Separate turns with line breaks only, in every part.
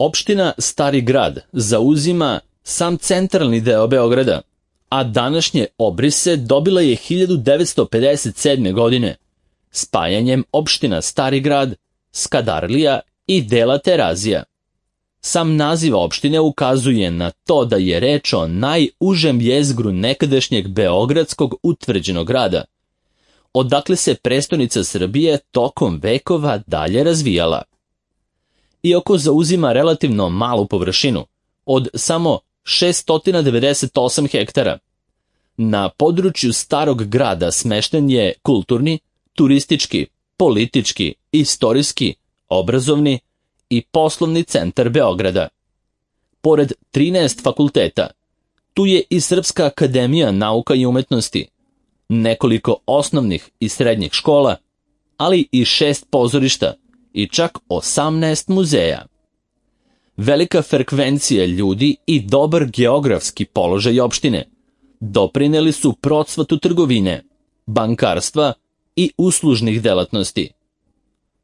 Opština Stari Grad zauzima sam centralni deo Beograda, a današnje obrise dobila je 1957. godine, spajanjem opština Stari Grad, Skadarlija i dela Terazija. Sam naziv opštine ukazuje na to da je reč o najužem jezgru nekadašnjeg beogradskog utvrđenog grada, odakle se prestonica Srbije tokom vekova dalje razvijala. Iako zauzima relativno malu površinu, od samo 698 hektara, na području Starog Grada smešten je kulturni, turistički, politički, istorijski, obrazovni i poslovni centar Beograda. Pored 13 fakulteta, tu je i Srpska akademija nauka i umetnosti, nekoliko osnovnih i srednjih škola, ali i 6 pozorišta i čak 18 muzeja. Velika frekvencija ljudi i dobar geografski položaj opštine doprineli su procvatu trgovine, bankarstva i uslužnih delatnosti.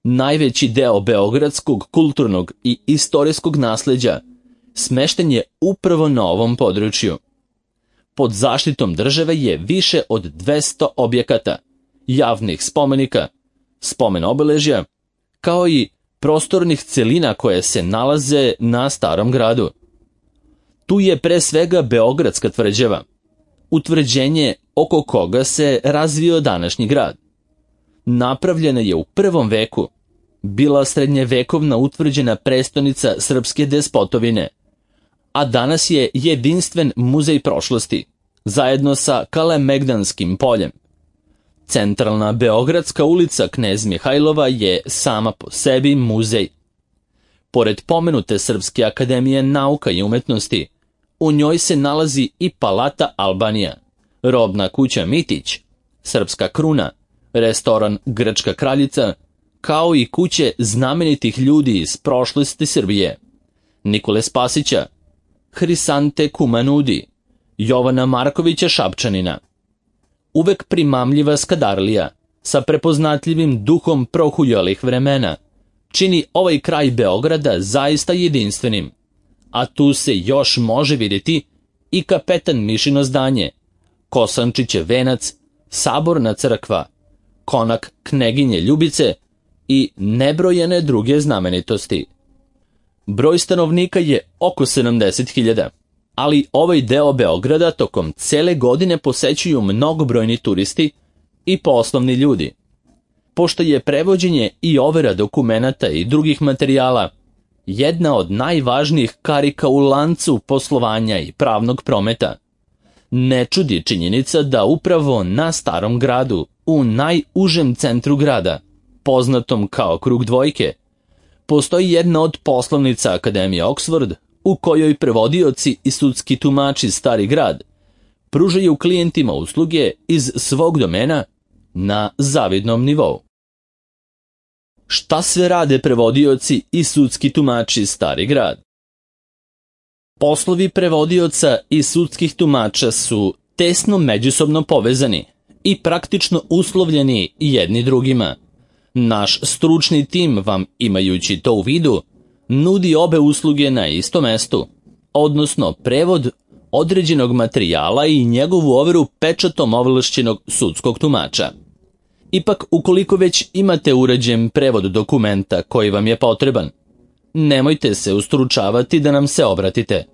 Najveći deo beogradskog kulturnog i istorijskog nasleđa smešten je upravo na ovom području. Pod zaštitom države je više od 200 objekata, javnih spomenika, spomen obeležja, kao i prostornih celina koje se nalaze na Starom Gradu. Tu je pre svega Beogradska tvrđava, utvrđenje oko koga se razvio današnji grad. Napravljena je u 1. veku, bila srednjevekovna utvrđena prestonica srpske despotovine, a danas je jedinstven muzej prošlosti, zajedno sa Kalemegdanskim poljem. Centralna Beogradska ulica Knez Mihajlova je sama po sebi muzej. Pored pomenute Srpske akademije nauka i umetnosti, u njoj se nalazi i Palata Albanija, robna kuća Mitić, Srpska kruna, restoran Grčka kraljica, kao i kuće znamenitih ljudi iz prošlosti Srbije, Nikole Spasića, Hrisante Kumanudi, Jovana Markovića Šapčanina. Uvek primamljiva Skadarlija, sa prepoznatljivim duhom prohujalih vremena, čini ovaj kraj Beograda zaista jedinstvenim, a tu se još može vidjeti i Kapetan Mišino zdanje, Kosančićev venac, Saborna crkva, konak Kneginje Ljubice i nebrojene druge znamenitosti. Broj stanovnika je oko 70.000, ali ovaj deo Beograda tokom cele godine posećuju mnogobrojni turisti i poslovni ljudi. Pošto je prevođenje i overa dokumenata i drugih materijala jedna od najvažnijih karika u lancu poslovanja i pravnog prometa, ne čudi činjenica da upravo na Starom Gradu, u najužem centru grada, poznatom kao Krug dvojke, postoji jedna od poslovnica Akademije Oxford, u kojoj prevodioci i sudski tumači Stari Grad pružaju klijentima usluge iz svog domena na zavidnom nivou. Šta sve rade prevodioci i sudski tumači Stari Grad? Poslovi prevodioca i sudskih tumača su tesno međusobno povezani i praktično uslovljeni jedni drugima. Naš stručni tim vam, imajući to u vidu, nudi obe usluge na istom mestu, odnosno prevod određenog materijala i njegovu overu pečatom ovlašćenog sudskog tumača. Ipak, ukoliko već imate uređen prevod dokumenta koji vam je potreban, nemojte se ustručavati da nam se obratite.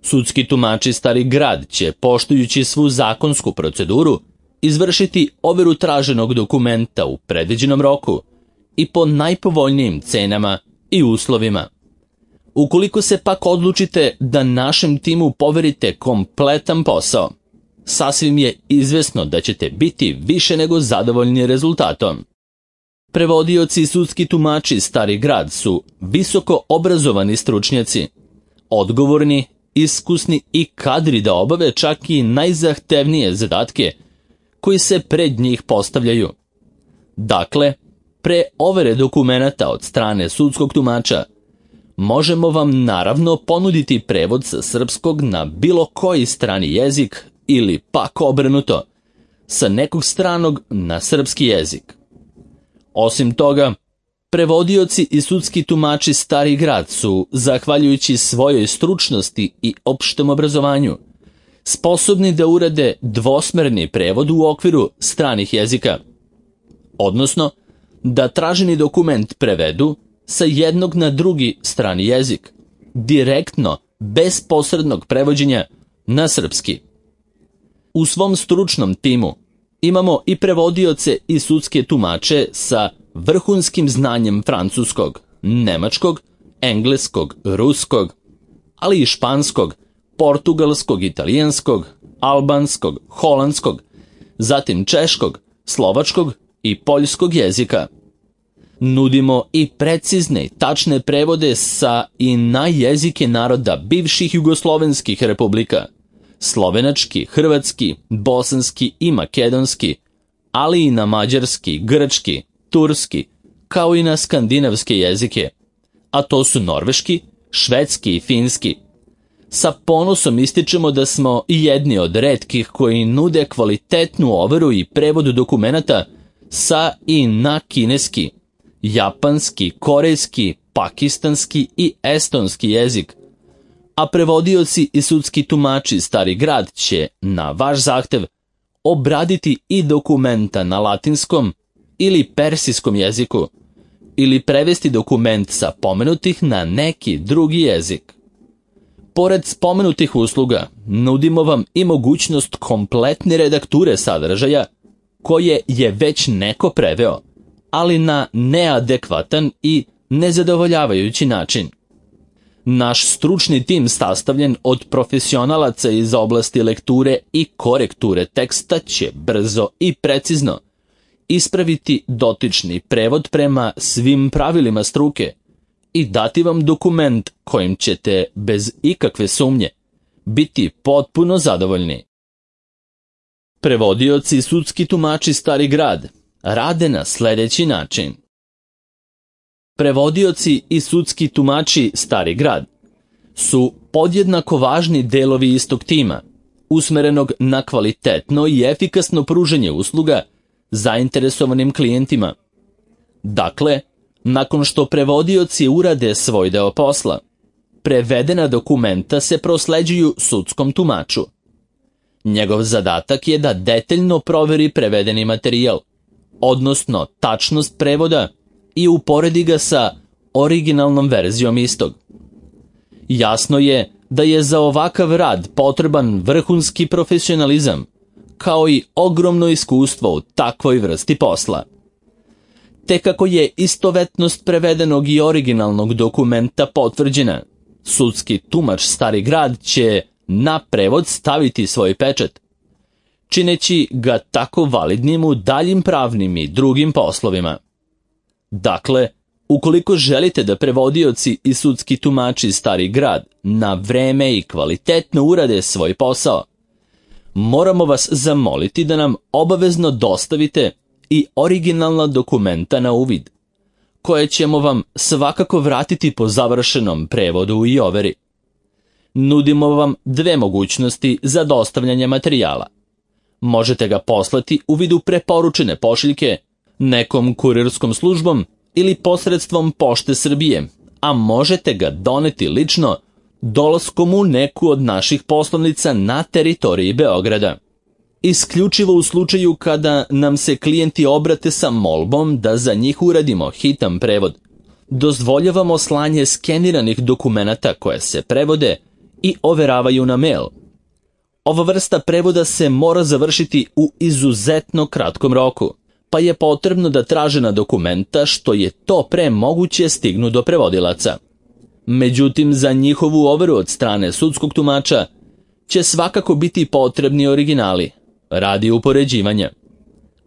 Sudski tumači Stari Grad će, poštujući svu zakonsku proceduru, izvršiti overu traženog dokumenta u predviđenom roku i po najpovoljnijim cenama i uslovima. Ukoliko se pak odlučite da našem timu poverite kompletan posao, sasvim je izvesno da ćete biti više nego zadovoljni rezultatom. Prevodioci i sudski tumači Stari Grad su visoko obrazovani stručnjaci, odgovorni, iskusni i kadri da obave čak i najzahtevnije zadatke koji se pred njih postavljaju. Dakle, pre overe dokumenata od strane sudskog tumača, možemo vam naravno ponuditi prevod sa srpskog na bilo koji strani jezik ili pak obrnuto, sa nekog stranog na srpski jezik. Osim toga, Prevodioci i sudski tumači Stari Grad su, zahvaljujući svojoj stručnosti i opštem obrazovanju, sposobni da urade dvosmerni prevod u okviru stranih jezika, odnosno da traženi dokument prevedu sa jednog na drugi strani jezik, direktno, bez posrednog prevođenja na srpski. U svom stručnom timu imamo i prevodioce i sudske tumače sa vrhunskim znanjem francuskog, nemačkog, engleskog, ruskog, ali i španskog, portugalskog, italijanskog, albanskog, holandskog, zatim češkog, slovačkog i poljskog jezika. Nudimo i precizne i tačne prevode sa i na jezike naroda bivših jugoslovenskih republika, slovenački, hrvatski, bosanski i makedonski, ali i na mađarski, grčki, turski, kao i na skandinavske jezike, a to su norveški, švedski i finski. Sa ponosom ističemo da smo jedni od retkih koji nude kvalitetnu overu i prevod dokumenata sa i na kineski, japanski, korejski, pakistanski i estonski jezik, a prevodioci i sudski tumači Stari Grad će, na vaš zahtev, obraditi i dokumenta na latinskom ili persijskom jeziku, ili prevesti dokument sa pomenutih na neki drugi jezik. Pored spomenutih usluga, nudimo vam i mogućnost kompletne redakture sadržaja koje je već neko preveo, ali na neadekvatan i nezadovoljavajući način. Naš stručni tim sastavljen od profesionalaca iz oblasti lekture i korekture teksta će brzo i precizno ispraviti dotični prevod prema svim pravilima struke i dati vam dokument kojim ćete, bez ikakve sumnje, biti potpuno zadovoljni. Prevodioci i sudski tumači Stari Grad rade na sljedeći način. Prevodioci i sudski tumači Stari Grad su podjednako važni delovi istog tima, usmerenog na kvalitetno i efikasno pružanje usluga zainteresovanim klijentima. Dakle, nakon što prevodioci urade svoj deo posla, prevedena dokumenta se prosleđuju sudskom tumaču. Njegov zadatak je da detaljno proveri prevedeni materijal, odnosno tačnost prevoda, i uporedi ga sa originalnom verzijom istog. Jasno je da je za ovakav rad potreban vrhunski profesionalizam, kao i ogromno iskustvo u takvoj vrsti posla. Te kako je istovetnost prevedenog i originalnog dokumenta potvrđena, sudski tumač Stari Grad će na prevod staviti svoj pečat, čineći ga tako validnim u daljim pravnim i drugim poslovima. Dakle, ukoliko želite da prevodioci i sudski tumači Stari Grad na vreme i kvalitetno urade svoj posao, moramo vas zamoliti da nam obavezno dostavite i originalna dokumenta na uvid, koje ćemo vam svakako vratiti po završenom prevodu i overi. Nudimo vam dve mogućnosti za dostavljanje materijala. Možete ga poslati u vidu preporučene pošiljke nekom kurirskom službom ili posredstvom Pošte Srbije, a možete ga doneti lično dolaskom u neku od naših poslovnica na teritoriji Beograda. Isključivo u slučaju kada nam se klijenti obrate sa molbom da za njih uradimo hitan prevod, dozvoljavamo slanje skeniranih dokumenata koje se prevode i overavaju na mail. Ova vrsta prevoda se mora završiti u izuzetno kratkom roku, pa je potrebno da tražena dokumenta što je to pre moguće stignu do prevodilaca. Međutim, za njihovu overu od strane sudskog tumača će svakako biti potrebni originali, radi upoređivanja.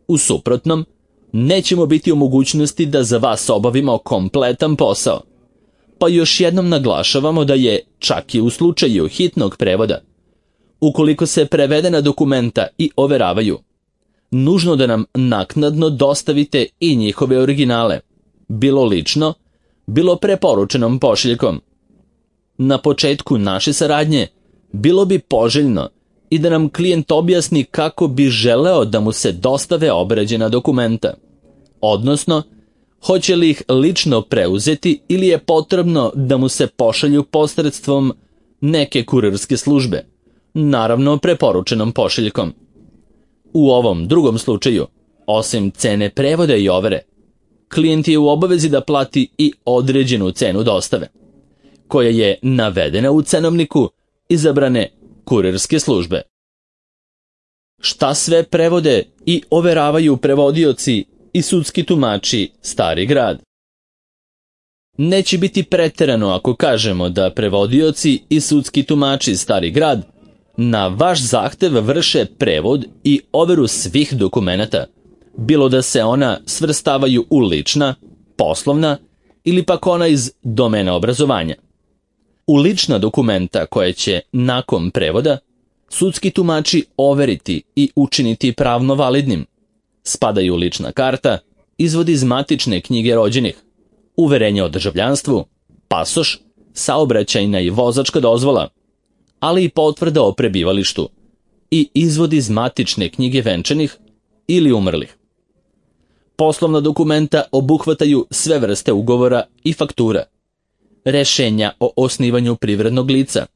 U suprotnom, nećemo biti u mogućnosti da za vas obavimo kompletan posao. Pa još jednom naglašavamo da je, čak i u slučaju hitnog prevoda, ukoliko se prevedena dokumenta i overavaju, nužno da nam naknadno dostavite i njihove originale, bilo lično, bilo preporučenom pošiljkom. Na početku naše saradnje bilo bi poželjno i da nam klijent objasni kako bi želeo da mu se dostave obrađena dokumenta, odnosno Hoće li ih lično preuzeti ili je potrebno da mu se pošalju posredstvom neke kurirske službe, naravno preporučenom pošiljkom. U ovom drugom slučaju, osim cene prevoda i overe, klijent je u obavezi da plati i određenu cenu dostave, koja je navedena u cenovniku izabrane kurirske službe. Šta sve prevode i overavaju prevodioci i sudski tumači Stari Grad? Neće biti preterano ako kažemo da prevodioci i sudski tumači Stari Grad na vaš zahtev vrše prevod i overu svih dokumenata, bilo da se ona svrstavaju u lična, poslovna ili pak ona iz domena obrazovanja. U lična dokumenta koje će nakon prevoda sudski tumači overiti i učiniti pravno validnim spadaju lična karta, izvod iz matične knjige rođenih, uverenje o državljanstvu, pasoš, saobraćajna i vozačka dozvola, ali i potvrda o prebivalištu i izvod iz matične knjige venčanih ili umrlih. Poslovna dokumenta obuhvataju sve vrste ugovora i faktura, rešenja o osnivanju privrednog lica,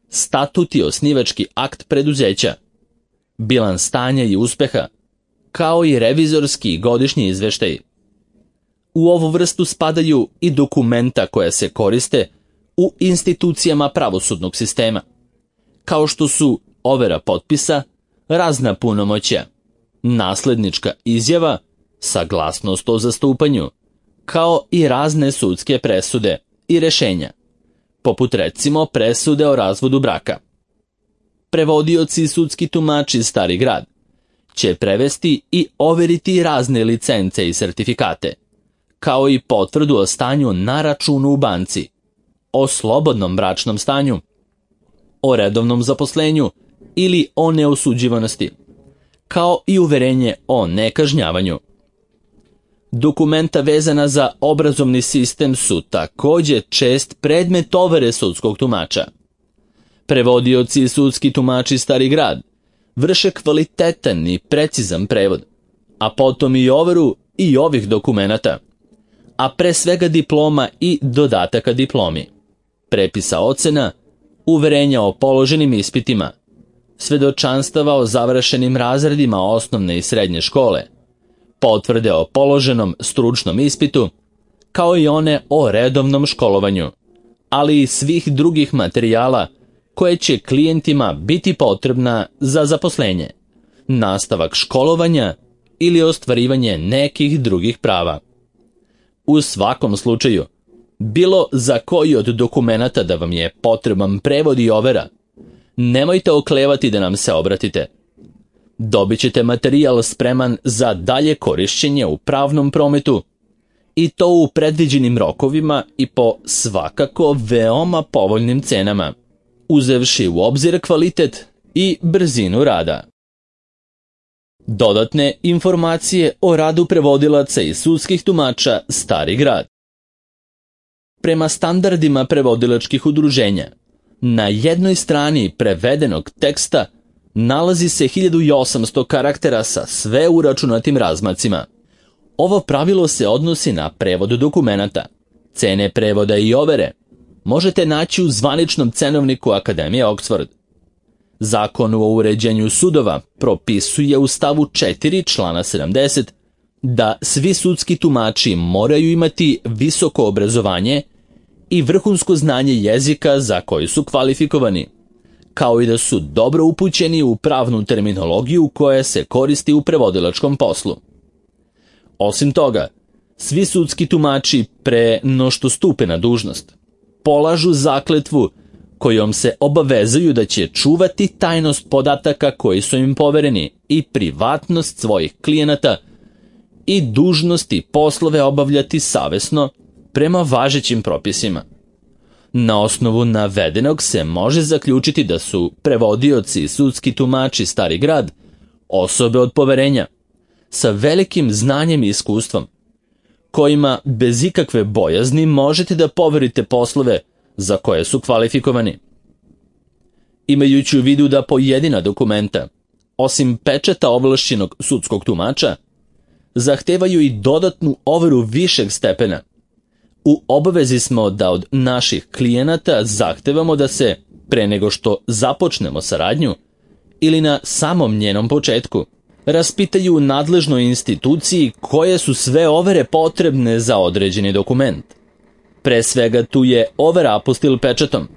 statut i osnivački akt preduzeća, bilans stanja i uspeha, kao i revizorski i godišnji izveštaji. U ovu vrstu spadaju i dokumenta koja se koriste u institucijama pravosudnog sistema, kao što su overa potpisa, razna punomoćja, naslednička izjava, saglasnost o zastupanju, kao i razne sudske presude i rešenja, poput recimo presude o razvodu braka. Prevodioci i sudski tumači Stari Grad će prevesti i overiti razne licence i sertifikate, kao i potvrdu o stanju na računu u banci, o slobodnom bračnom stanju, o redovnom zaposlenju ili o neosuđivanosti, kao i uverenje o nekažnjavanju. Dokumenta vezana za obrazovni sistem su također čest predmet overe sudskog tumača. Prevodioci i sudski tumači Stari Grad vrše kvalitetan i precizan prevod, a potom i overu i ovih dokumenata, a pre svega diploma i dodataka diplomi, prepisa ocena, uverenja o položenim ispitima, svedočanstava o završenim razredima osnovne i srednje škole, potvrde o položenom stručnom ispitu, kao i one o redovnom školovanju, ali i svih drugih materijala koje će klijentima biti potrebna za zaposlenje, nastavak školovanja ili ostvarivanje nekih drugih prava. U svakom slučaju, bilo za koji od dokumenata da vam je potreban prevod i overa, nemojte oklevati da nam se obratite. Dobit ćete materijal spreman za dalje korišćenje u pravnom prometu, i to u predviđenim rokovima i po svakako veoma povoljnim cenama, uzevši u obzir kvalitet i brzinu rada. Dodatne informacije o radu prevodilaca i sudskih tumača Stari Grad. Prema standardima prevodilačkih udruženja, na jednoj strani prevedenog teksta nalazi se 1800 karaktera sa sve uračunatim razmacima. Ovo pravilo se odnosi na prevod dokumenata. Cene prevoda i overe možete naći u zvaničnom cenovniku Akademije Oxford. Zakon o uređenju sudova propisuje u stavu 4 člana 70 da svi sudski tumači moraju imati visoko obrazovanje i vrhunsko znanje jezika za koji su kvalifikovani, kao i da su dobro upućeni u pravnu terminologiju koja se koristi u prevodilačkom poslu. Osim toga, svi sudski tumači pre no što stupe na dužnost polažu zakletvu kojom se obavezuju da će čuvati tajnost podataka koji su im povereni i privatnost svojih klijenata i dužnosti poslove obavljati savesno prema važećim propisima. Na osnovu navedenog se može zaključiti da su prevodioci i sudski tumači Stari Grad osobe od poverenja, sa velikim znanjem i iskustvom, kojima bez ikakve bojazni možete da poverite poslove za koje su kvalifikovani. Imajući u vidu da pojedina dokumenta, osim pečata ovlašćenog sudskog tumača, zahtevaju i dodatnu overu višeg stepena. U obavezi smo da od naših klijenata zahtevamo da se, pre nego što započnemo saradnju, ili na samom njenom početku, raspitaju nadležnoj instituciji koje su sve overe potrebne za određeni dokument. Pre svega tu je overa apostil pečatom.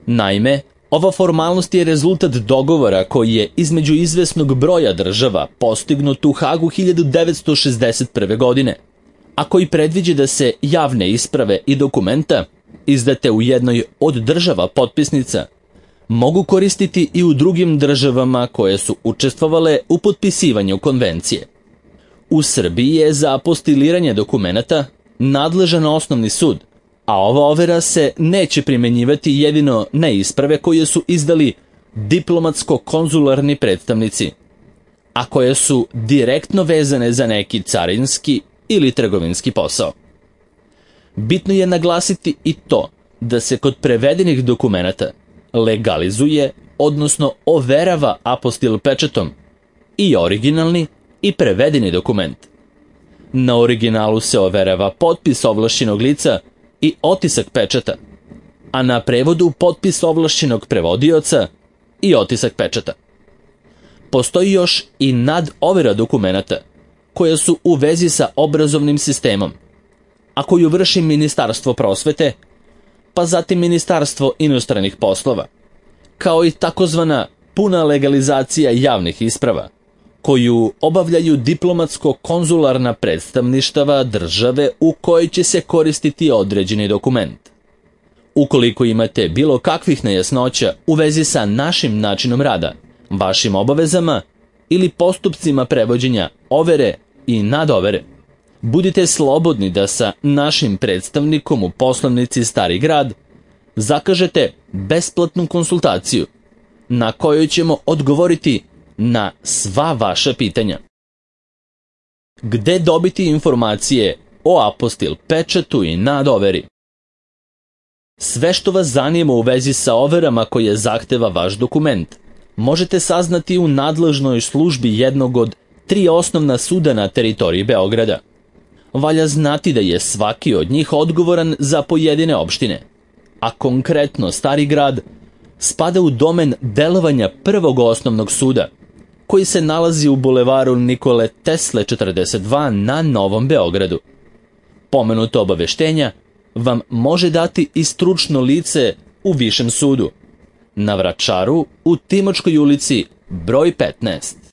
Naime, ova formalnost je rezultat dogovora koji je između izvesnog broja država postignut u Hagu 1961. godine, a koji predviđa da se javne isprave i dokumenta, izdate u jednoj od država potpisnica, mogu koristiti i u drugim državama koje su učestvovale u potpisivanju konvencije. U Srbiji je za apostiliranje dokumenata nadležan osnovni sud, a ova overa se neće primenjivati jedino na isprave koje su izdali diplomatsko-konzularni predstavnici, a koje su direktno vezane za neki carinski ili trgovinski posao. Bitno je naglasiti i to da se kod prevedenih dokumenata legalizuje, odnosno overava apostil pečatom i originalni i prevedeni dokument. Na originalu se overava potpis ovlašćenog lica i otisak pečata, a na prevodu potpis ovlašćenog prevodioca i otisak pečata. Postoji još i nadovera dokumenata, koja su u vezi sa obrazovnim sistemom, a koju vrši Ministarstvo prosvete, pa zatim Ministarstvo inostranih poslova, kao i takozvana puna legalizacija javnih isprava, koju obavljaju diplomatsko-konzularna predstavništava države u kojoj će se koristiti određeni dokument. Ukoliko imate bilo kakvih nejasnoća u vezi sa našim načinom rada, vašim obavezama ili postupcima prevođenja overe i nadovere, budite slobodni da sa našim predstavnikom u poslovnici Stari grad zakažete besplatnu konsultaciju na kojoj ćemo odgovoriti na sva vaša pitanja. Gde dobiti informacije o apostil pečatu i nadoveri? Sve što vas zanima u vezi sa overama koje zahteva vaš dokument možete saznati u nadležnoj službi jednog od 3 osnovna suda na teritoriji Beograda. Valja znati da je svaki od njih odgovoran za pojedine opštine, a konkretno Stari grad spada u domen delovanja prvog osnovnog suda, koji se nalazi u bulevaru Nikole Tesle 42 na Novom Beogradu. Pomenuto obaveštenja vam može dati i stručno lice u Višem sudu, na Vračaru u Timočkoj ulici broj 15.